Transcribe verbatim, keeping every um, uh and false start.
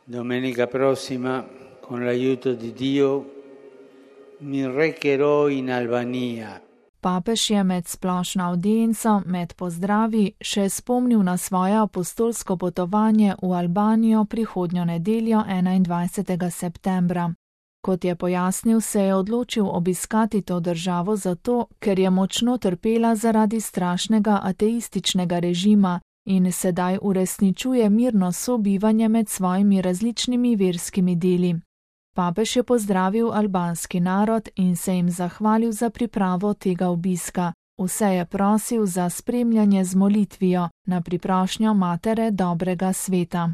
Domenica prossima, con l'aiuto di Dio, mi recherò in Albania. Papež je med splošno audienco, med pozdravi, še spomnil na svoje apostolsko potovanje v Albanijo prihodnjo nedeljo enaindvajsetega septembra. Kot je pojasnil, se je odločil obiskati to državo zato, ker je močno trpela zaradi strašnega ateističnega režima in sedaj uresničuje mirno sobivanje med svojimi različnimi verskimi deli. Papež je pozdravil albanski narod in se jim zahvalil za pripravo tega obiska. Vse je prosil za spremljanje z molitvijo na priprošnjo Matere dobrega sveta.